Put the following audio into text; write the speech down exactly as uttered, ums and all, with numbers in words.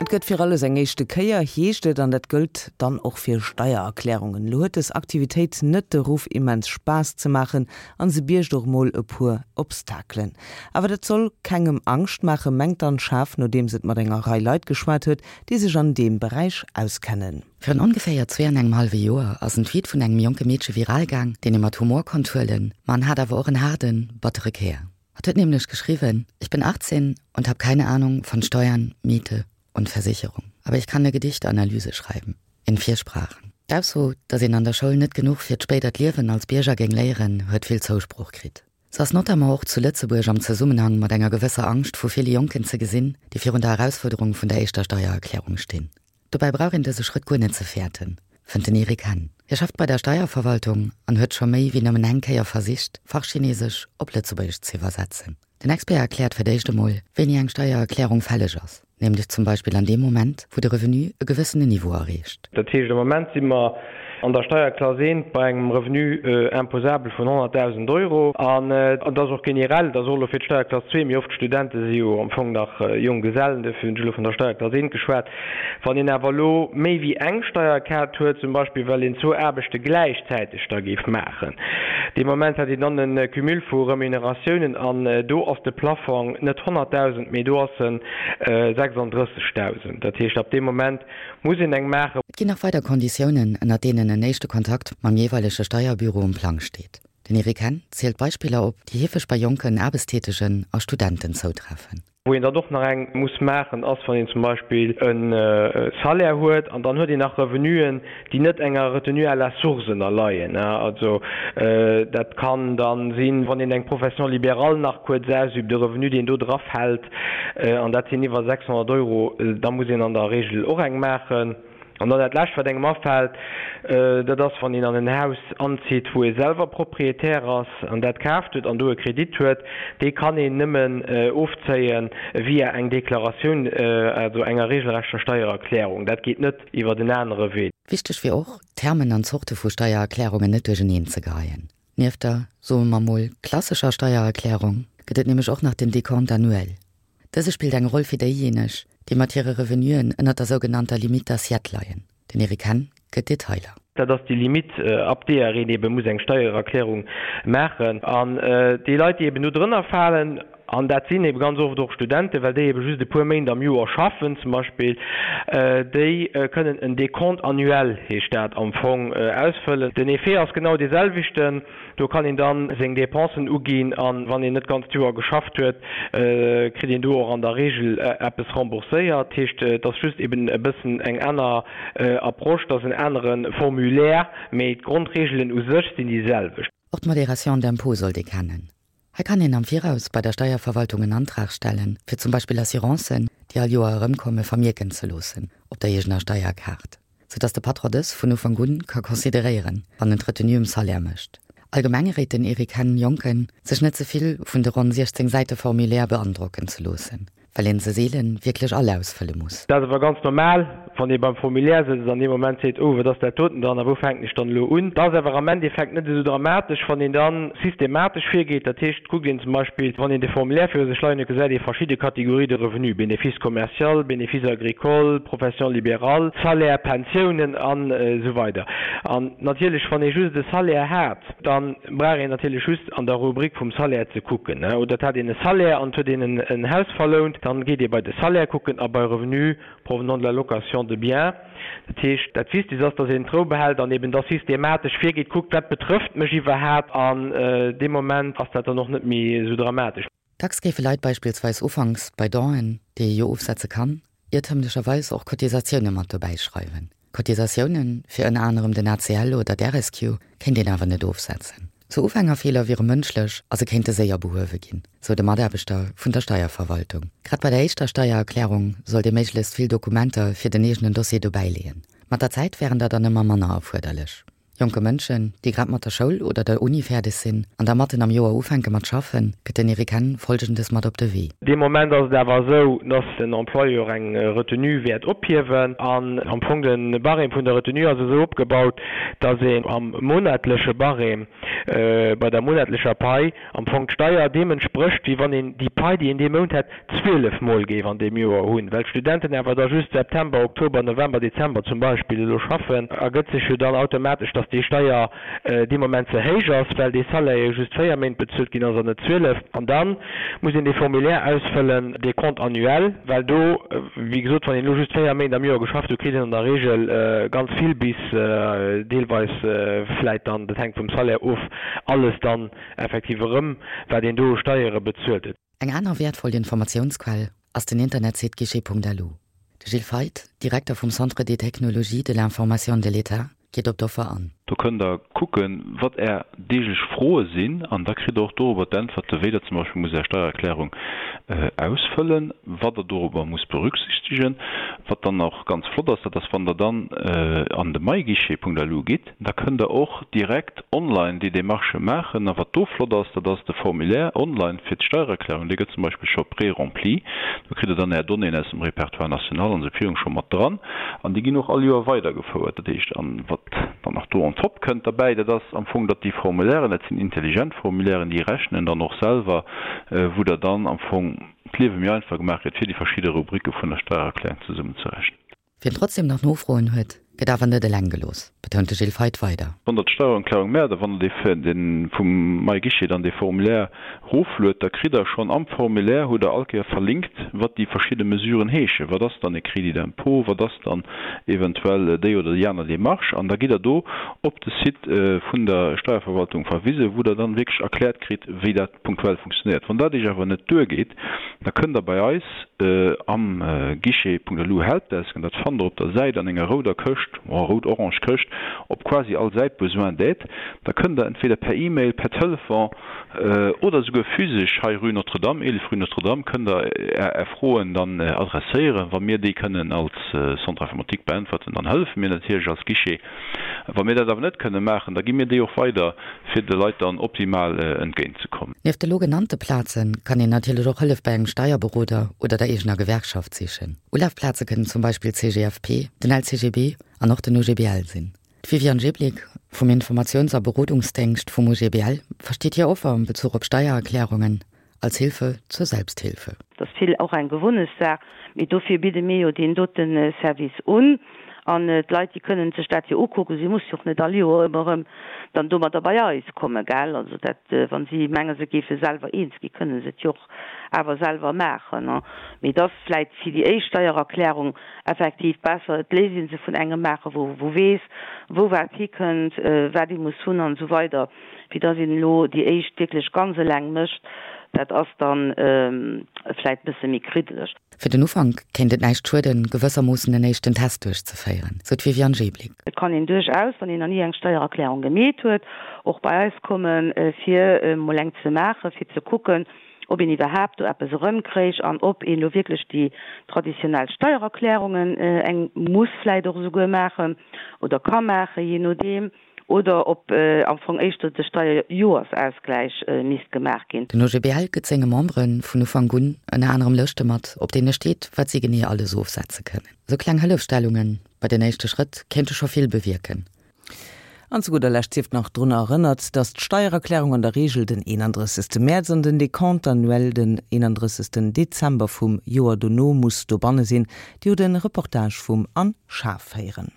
Et gëtt fir alles eng éischte Kéier, heescht et, an dat gëllt dann och fir Steiererklärungen. Lo huet dës Aktivitéit net de Ruff immens Spaass ze maachen an se biergt och mol e puer Obstakelen. Awer dat soll kengem Angscht maachen, mengt d'Anne Schaaf, nodeems et mat enger Rei Leit geschwat huet, déi sech an deem Beräich auskennen. Virun ongeféier zwee an engem hallwe Joer ass en Tweet vun engem jonke Meedche viral gaang, deen ee mat Humor konnt huelen, ma en hat awer och en haarden, battere Kär. Hatt huet nämlech geschriwwen, Ich bin achtzehn und habe keine Ahnung von Steuern, Miete und Versicherung. Aber ich kann eine Gedichtanalyse schreiben. In vier Sprachen. D'Ausso, datt een an der Schoul net genuch fir d'spéidert Liewen als Bierger géing léieren, huet vill Zousproch kritt. Se ass notamment och zu Lëtzebuerg am Zesummenhang mat enger gewësser Angscht vu ville Jonken ze gesinn, déi virun der Erausfuerderung vun der éischter Steiererklärung stinn. Dobäi brauch een dëse Schrëtt guer net ze fäerten, fënnt den Eric Henn. Hie schafft bei der Steierverwaltung an huet scho méi wéi nëmmen eng Kéier versicht, Fachchinesesch op Lëtzebuergesch ze iwwersetzen. Den Expert erkläert fir d'éischt emol, wéini eng Steiererklärung fälleg ass, nämlech zum Beispill an deem Moment, wou de Revenu e gewëssenen Niveau erreecht. Dat heescht, am Moment si mer an der Steierklass eent bei engem Revenu imposable vun honnertdausend Euro. An et ass och generell, dat ass och elo fir d'Steierklass zwee, mee oft d'Studente si jo am Fong nach Jonggesellen, duerfir hunn ech elo vun der Steierklass eent geschwat. Wann een awer elo méi wéi eng Steierkaart huet, zum Beispill well een zwou Aarbechte gläichzäiteg da géif maachen, dee Moment hätt een dann e Cumul vu Remuneratiounen an do ass de Plafong net honnertdausend, mee do ass en sechsandrëssegdausend. Dat heescht, ab deem Moment muss een eng maachen. Et ginn nach weider Konditiounen, ënner deenen en éischte Kontakt mam jeeweilege Steierbüro um Plang steet. Den Eric Henn zielt Beispiller op, déi heefeg bei jonken Aarbechtstätegen a Studenten zoutreffen. Wou een dann och nach eng muss maachen, ass, wann een zum Beispill e Salaire huet an dann huet een nach Revenuen, déi net enger Retenue à la source ënnerleien. Also dat kann da sinn, wann een eng Profession libérale nach kuerz ausübt, de Revenu, deen do drafält, an dat sinn iwwer sechshonnert Euro, da muss een an der Regel och eng maachen. An dann dat Lescht, wat engem afält, dat ass, wann een an en Haus anzitt, wou ee selwer Proprietär ass an dat kaaft huet an do e Kredit huet, dee kann een nëmmen ofzéie via eng Deklaratioun, also enger regelrechter Steiererklärung. Dat geet net iwwert en anere Wee. Wichteg wier och, d'Termen an d'Zorte vu Steiererklärungen net duercheneen ze geheien. Nieft der, soe mer mol, klassescher Steiererklärung gëtt et nämlech och nach den Décompte annuel. Dëse spillt eng Roll fir déijéineg, déi mat hire Revenuen ënnert der sougenannter Limite d'assiette leien. Den Eric Henn gëtt Detailer. Dat ass déi Limite, ab deeër een ebe muss eng Steiererklärung maachen. An déi Leit, déi eben do drënner falen, an dat sinn ebe ganz oft och Studenten, well déi ebe just e puer Méint am Joer schaffen zum Beispill, déi kënnen en Décompte annuel, heescht dat am Fong, ausfëllen. Den Effet ass genau dee selwechten. Do kann een dann seng Dépensen uginn an wann een net d'ganzt Joer geschafft huet, kritt een do och an der Regel eppes rembourséiert. Dat heescht, et ass just eben e bëssen eng aner Approche, et ass en anere Formulaire, mee d'Grondregelen u sech sinn déi selwecht. Och d'Modération d'impôt sollt ee kennen. Hei kann een am Viraus bei der Steierverwaltung en Antrag stellen, fir zum Beispill Assurancen, déi all Joer erëmkommen, vermierken ze loossen op der eegener Steierkaart, sou dass de Patron dës vun Ufank un ka consideréieren, wann en d'Retenue um Salaire mécht. Allgemeng réit den Eric Henn Jonken, sech net ze vill vun de ronn siechzéng Säite Formulaire beandrocken ze loossen, well een se seelen wierklech all ausfëlle muss. Dat ass awer ganz normal, wann ee beim Formulaire sëtzt an dee Moment seet, oh, wat ass dat doten dann a wou fänken ech dann elo un? Dat ass awer am Endeffekt net esou dramatesch, wann een da systematesch virgeet. Dat heescht, kuckt een zum Beispill, wann een de Formulaire viru sech leien huet, gesäit ee verschidde Catégories de revenus, Bénéfice commercial, Bénéfice agricole, Profession libérale, Salaire, Pensiounen an esou weider. An natierlech, wann ee just e Salaire hat, da brauch een natierlech just an der Rubrik vum Salaire ze kucken. Oder et hat een e Salaire an et huet een en Haus verlount, dann geet ee bei de Salaire kucken a bei Revenus provenant de la location de biens. Dat heescht, dat Wichtegst ass, dass een d'Rou behält an eben da systematesch virgeet, kuckt, wat betrëfft mech iwwerhaapt an dee Moment ass dat dann och net méi esou dramatesch. Dacks géife Leit beispillsweis ufanks bei Donen, déi ee jo ofsetze kann, iertëmlecherweis och Cotisatioune mat dobäi schreiwen. Cotisatioune fir ënner anerem den A C L oder d'R S Q kéint een awer net ofsetzen. Sou Ufängerfeeler wiere mënschlech a se kéinte séier behuewe ginn, sou de Mataarbechter vun der Steierverwaltung. Grad bei der éischter Steiererklärung sollt ee méiglechst vill Dokumenter fir den eegenen Dossier dobäileeën. Mat der Zäit wären der dann ëmmer manner erfuerderlech. Jonke Mënschen, déi grad mat der Schoul oder der Uni fäerdeg sinn an da matten am Joer ufänke mat schaffen, gëtt den Eric Henn Folgendes mat op de Wee. Dee Moment ass et awer esou, dass den Employeur eng Retenue wäert ophiewen an am Fong de Barème vun der Retenue ass esou opgebaut, dass een am monatleche Barème bei der monatlecher Pai am Fong d'Steier deem entsprécht, wéi wann een déi Pai, déi een dee Mount hätt, zwielef Mol géif an deem Joer hunn. Well d'Studenten awer da just September, Oktober, November, Dezember zum Beispill elo schaffen, ergëtt sech jo dann automatesch, dass déi Steier dee Moment ze héich ass, well dee Salaire jo just véier Méint bezuelt ginn ass an net zwielef. An da muss een dee Formulaire ausfëllen, dee Compte annuel, well do, wéi gesot, wann een elo just véier Méint am Joer geschafft huet, kritt een an der Regel ganz vill bis deelweis vläit dann, dat hänkt vum Salaire of, alles dann effektiv erëm, wat een do u Steiere bezuelt huet. Eng aner wäertvoll Informatiounsquell ass den Internetsite guichet.lu. De Gilles Feith, Direkter vum Centre des technologies de l'information de l'État, geet op d'Offer an. Do kënnt Der kucken, wat Är deeglech Froe sinn an da kritt Der och dorobber d'Äntwerte, wéi Der zum Beispill musst Är Steiererklärung ausfëllen, wat Der dorobber musst berücksichtegen. Wat dann och ganz flott ass, dat ass, wann Der dann an de myguichet.lu gitt, da kënnt Der och direkt online déi Demarchë maachen. A wat do flott ass, dat ass de Formulaire online fir d'Steiererklärung, dee gëtt zum Beispill scho pré-rempli. Do kritt Der dann Är Donnéeën aus dem Répertoire national an esou virun scho mat dran an déi ginn och all Joer weidergefouert. Dat heescht, an wat dann nach do on top kënnt derbäi, dat ass am Fong, datt déi Formulairen, dat sinn intelligent Formulairen, déi rechnen dann och selwer, wou Der dann am Fong d'Liewe méi einfach gemaach kritt, fir déi verschidde Rubricke vun der Steiererklärung zesummenzerechnen. Wien trotzdem nach Nofroen huet, gëtt awer net eleng gelooss, betount de Gilles Feith weider. Wann Der d'Steiererklärung maacht a wann Der dee dee vum MyGuichet dann dee Formulaire rofluet, da kritt Der schonn am Formulaire, hutt Der all Kéier verlinkt, wat déi verschidde Mesuren heeschen. Wat ass dann e Crédit d'impôt, wat ass dann eventuell déi oder déi aner Démarche? An da gitt Der do op de Site vun der Steierverwaltung verwisen, wou Der dann wierklech erkläert kritt, wéi dat punktuell funktionéiert. Wann dat Iech awer net duergeet, da kënnt Der bei eis am Guichet.lu Helpdesk, an dat fannt Der op der Säit an enger rouder Këscht, rout-orange Këscht, op quasi all Säit Besoin d'aide, da kënnt Der entweder per E-Mail, per Telefon oder esouguer physesch hei Rue Notre-Dame, eelef Rue Notre-Dame, kënnt Der Är Froen dann adresséieren. Wa mir déi kënnen als Centre informatique beäntwerten, dann hëllefe mir natierlech als Guichet. Wa mir dat awer net kënne maachen, da gi mir déi och weider, fir de Leit dann optimal entgéintzekommen. Nieft de lo genannte Plaze kann een natierlech och Hëllef bei engem Steierberoder oder der eegener Gewerkschaft sichen. Ulafplaze kënnen zum Beispill d'CGFP, den L C G B an och den O G B L sinn. D'Viviane Jeblick vum Informatiouns a Berodungsdéngscht vum O G B L versteet hir Offer am Bezuch op Steiererklärungen als Hilfe zur Selbsthilfe. Dat ass vill och eng Gewunnegssaach, mee dofir bidde mir jo deen dote Service un an d'Leit, déi kënnen sech dat jo ukucken. Si musse jo och net all Joer ëmmer erëm dann domadder bei eis kommen, gell. Also dat, wa si menge se géife selwer eens ginn, kënne se et jo och awer selwer maachen. Mee et ass vläit fir déi éischt Steiererklärung effektiv besser, et léisst ee se vun engem maachen, wou wou weess, wou wat hikënnt, wat ee muss hunn an esou weider, wéi dass een elo déi éischt wierklech ganz eleng mécht. Dat ass dann vläit bësse méi kriddeleg. Fir den Ufank kéint et näischt schueden, gewëssermoossen en éischten Test duerchzeféieren, sou d'Viviane Jeblick. Et kann een duerchaus, wann een nach ni eng Steiererklärung gemeet huet, och bei eis kommen, fir emol eng ze maachen, fir ze kucken, ob een iwwerhaapt do eppes erëmkréich an ob een elo wierklech déi traditionell Steiererklärungen eng muss vläit och esouguer maachen oder ka maachen, jee nodeem, oder ob am Fong éischter de Steierjoersausgläich misst gemaach ginn. Den O G B L gëtt senge Membere vun Ufank un ënner anerem Lëschte mat, op deene steet, wat si genee alles ofsetze kënnen. Sou kleng Hëllefstellunge bei den éischte Schrëtt kéinte scho vill bewierken. An zu gudder Lescht sief nach drun erënnert, dass d'Steiererklärung an der Reegel den eenandrëssegste Mäerz an den Décompte annuel den eenandrëssegsten Dezember vum Joer dono muss dobanne sinn. Dir hutt de Reportage vum Anne Schaaf héieren.